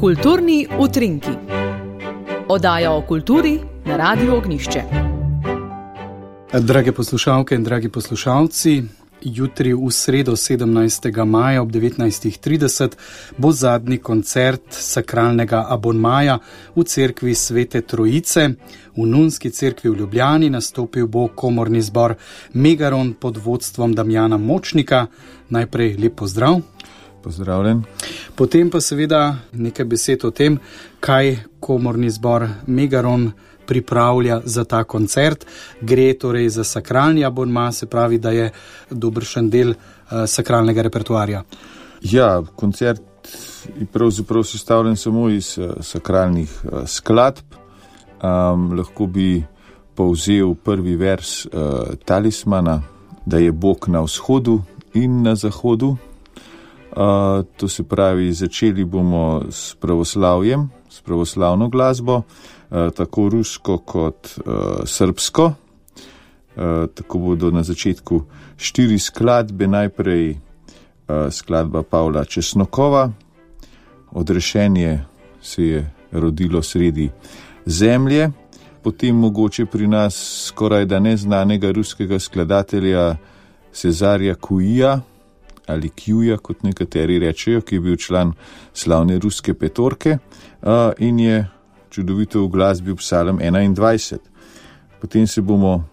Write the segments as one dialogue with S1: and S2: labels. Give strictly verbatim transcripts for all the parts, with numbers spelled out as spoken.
S1: Kulturni utrinki. Oddaja o kulturi na Radiu Ognjišče.
S2: Drage poslušalke in dragi poslušalci, jutri v sredo sedemnajstega maja ob devetnajstih trideset bo zadnji koncert sakralnega abonmaja v cerkvi Svete Trojice. V Nunski cerkvi v Ljubljani nastopil bo komorni zbor Megaron pod vodstvom Damjana Močnika. Najprej lep pozdrav.
S3: Pozdravljen.
S2: Potem pa seveda nekaj besed o tem, kaj komorni zbor Megaron pripravlja za ta koncert. Gre torej za sakralni abonma, se pravi, da je dobršen del uh, sakralnega repertoarja.
S3: Ja, koncert je pravzaprav sestavljen samo iz uh, sakralnih uh, skladb. Um, lahko bi povzel prvi vers uh, talismana, da je Bog na vzhodu in na zahodu. Uh, to se pravi, začeli bomo s pravoslavjem, s pravoslavno glasbo, uh, tako rusko kot uh, srbsko. Uh, tako bodo na začetku štiri skladbe, najprej uh, skladba Pavla Česnokova, Odrešenje se je rodilo sredi zemlje, potem mogoče pri nas skoraj da neznanega ruskega skladatelja Cezarja Kuija, ali Kjuja, kot nekateri rečejo, ki je bil član slavne ruske petorke uh, in je čudovito v glasbi psalm enaindvajset. Potem se bomo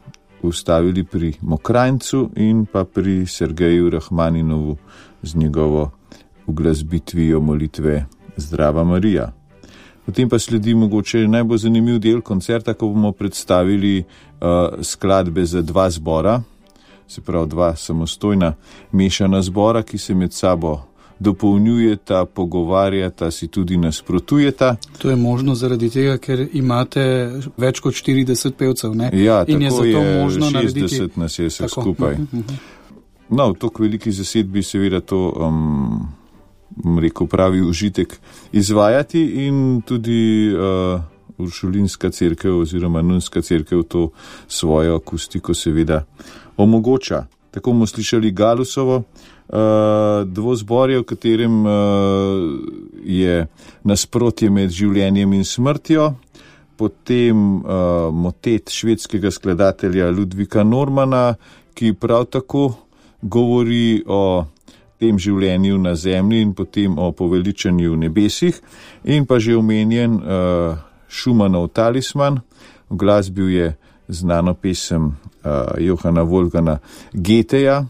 S3: ustavili pri Mokranjcu in pa pri Sergeju Rahmaninovu z njegovo uglasbitvijo molitve Zdrava Marija. Potem pa sledi mogoče najbolj zanimiv del koncerta, ko bomo predstavili uh, skladbe za dva zbora, se pravi dva samostojna mešana zbora, ki se med sabo dopolnjujeta, pogovarjata, si tudi nasprotujeta.
S2: To je možno zaradi tega, ker imate več kot štirideset pevcev, ne?
S3: Ja,
S2: in
S3: tako
S2: je,
S3: je,
S2: možno
S3: šestdeset
S2: narediti...
S3: nas je vse
S2: tako.
S3: skupaj. Uh-huh, uh-huh. No, v toliko veliki zasedbi seveda to, um, rekel pravi, užitek izvajati in tudi uh, Uršulinska cerkev oziroma Nunska cerkev to svojo akustiko seveda omogoča. Tako bomo slišali Galusovo uh, dvozborje, v katerem uh, je nasprotje med življenjem in smrtjo, potem uh, motet švedskega skladatelja Ludvika Normana, ki prav tako govori o tem življenju na zemlji in potem o poveličanju v nebesih, in pa že omenjen uh, Schumannov Talisman. V glasbi je znano pesem uh, Johana Wolfganga Goetheja,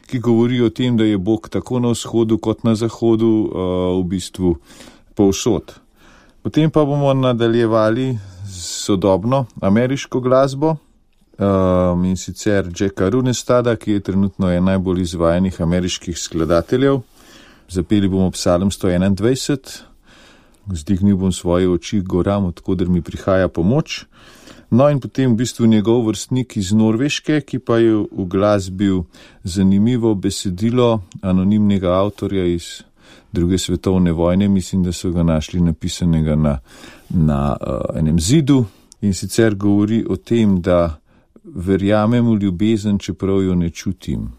S3: ki govori o tem, da je Bog tako na vzhodu kot na zahodu uh, v bistvu povsod. Potem pa bomo nadaljevali s sodobno ameriško glasbo um, in sicer Jacka Runestada, ki je trenutno en najbolj izvajanih ameriških skladateljev. Zapeli bomo psalm sto enaindvajset, Vzdignil bom svoje oči goram, odkoder mi prihaja pomoč. No in potem v bistvu njegov vrstnik iz Norveške, ki pa je v glasbi zanimivo besedilo anonimnega avtorja iz druge svetovne vojne, mislim, da so ga našli napisanega na, na uh, enem zidu, in sicer govori o tem, da verjamem v ljubezen, čeprav jo ne čutim,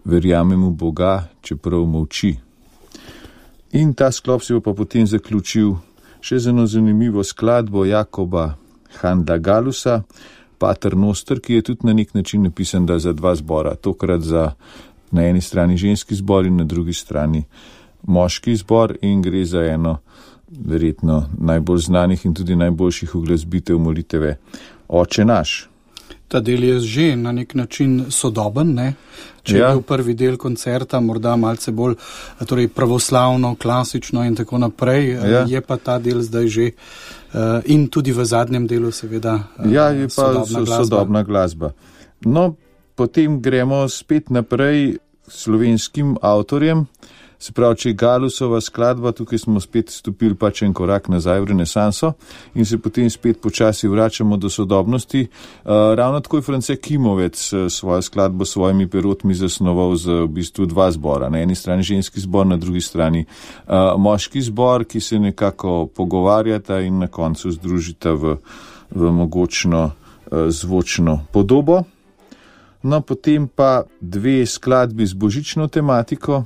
S3: verjamem v Boga, čeprav molči. In ta sklop se bo pa potem zaključil še z eno zanimivo skladbo Jakoba Handa Galusa, Pater Noster, ki je tudi na nek način napisan da za dva zbora. Tokrat za na eni strani ženski zbor in na drugi strani moški zbor, in gre za eno verjetno najbolj znanih in tudi najboljših uglasbitev molitve Oče naš.
S2: Ta del je že na nek način sodoben, ne? Če ja. je bil prvi del koncerta morda malce bolj torej pravoslavno, klasično in tako naprej, ja. je pa ta del zdaj že uh, in tudi v zadnjem delu seveda uh,
S3: ja, je pa
S2: sodobna,
S3: so, sodobna glasba. No, potem gremo spet naprej slovenskim avtorjem. Se pravi, če je Galusova skladba, tukaj smo spet stopili pač en korak nazaj v renesanso in se potem spet počasi vračamo do sodobnosti. Uh, ravno tako je France Kimovec svojo skladbo s svojimi perotmi zasnoval z v bistvu dva zbora. Na eni strani ženski zbor, na drugi strani uh, moški zbor, ki se nekako pogovarjata in na koncu združita v, v mogočno uh, zvočno podobo. No, potem pa dve skladbi z božično tematiko,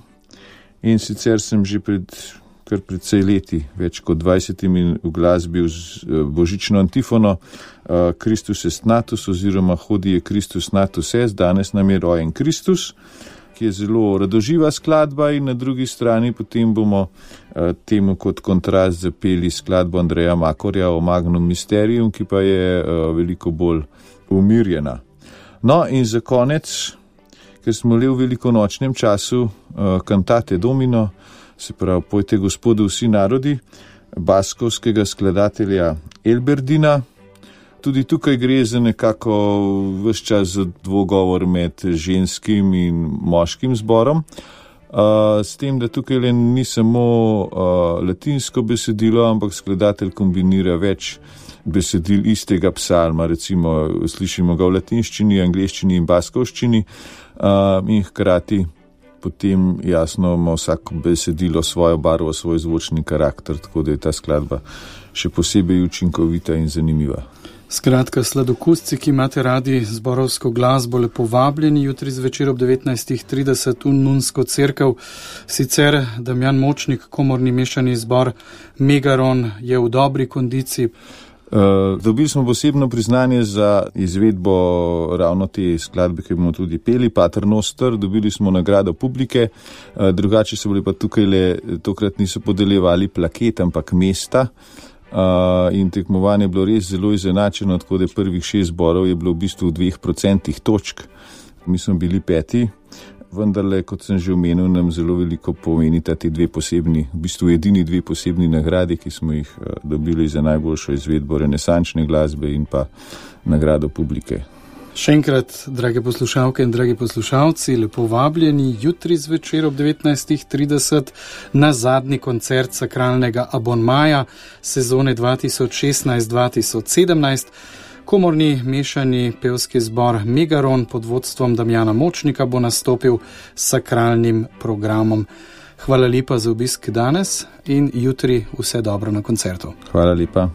S3: in sicer sem že pred kar precej leti, več kot dvajsetimi uglasbil z božično antifono Kristus est natus oziroma Hodie Kristus natus est, danes nam je rojen Kristus, ki je zelo radoživa skladba, in na drugi strani potem bomo temu kot kontrast zapeli skladbo Andreja Makorja o Magnum Mysterium, ki pa je veliko bolj umirjena. No, in za konec, ker smo le v velikonočnem času, Cantate Domino, se pravi Pojte Gospodu vsi narodi, baskovskega skladatelja Elberdina. Tudi tukaj gre za nekako ves čas za dvogovor med ženskim in moškim zborom, uh, s tem, da tukaj le ni samo uh, latinsko besedilo, ampak skladatelj kombinira več besedil istega psalma, recimo slišimo ga v latinščini, angleščini in baskovščini, uh, in hkrati potem jasno ima vsako besedilo svojo barvo, svoj zvočni karakter, tako da je ta skladba še posebej učinkovita in zanimiva.
S2: Skratka, sladokusci, ki imate radi zborovsko glasbo, lepo vabljeni jutri zvečer ob devetnajstih trideset v Nunsko cerkev. Sicer Damjan Močnik, komorni mešani zbor Megaron, je v dobri kondiciji.
S3: Uh, dobili smo posebno priznanje za izvedbo ravno te skladbe, ki bomo tudi peli, Pater Noster, dobili smo nagrado publike, uh, drugače so bili pa tukaj le, tokrat niso podeljevali plaket, ampak mesta. Uh, in tekmovanje je bilo res zelo izenačeno, tako da prvih šest zborov je bilo v bistvu v dveh procentih točk. Mi smo bili peti, vendarle, kot sem že omenil, nam zelo veliko pomenita ti dve posebni, v bistvu edini dve posebni nagradi, ki smo jih uh, dobili za najboljšo izvedbo renesančne glasbe in pa nagrado publike.
S2: Še enkrat, drage poslušalke in dragi poslušalci, lepo vabljeni jutri zvečer ob devetnajstih trideset na zadnji koncert sakralnega abonmaja sezone dva tisoč šestnajst dva tisoč sedemnajst. Komorni mešani pevski zbor Megaron pod vodstvom Damjana Močnika bo nastopil s sakralnim programom. Hvala lepa za obisk danes in jutri vse dobro na koncertu.
S3: Hvala lepa.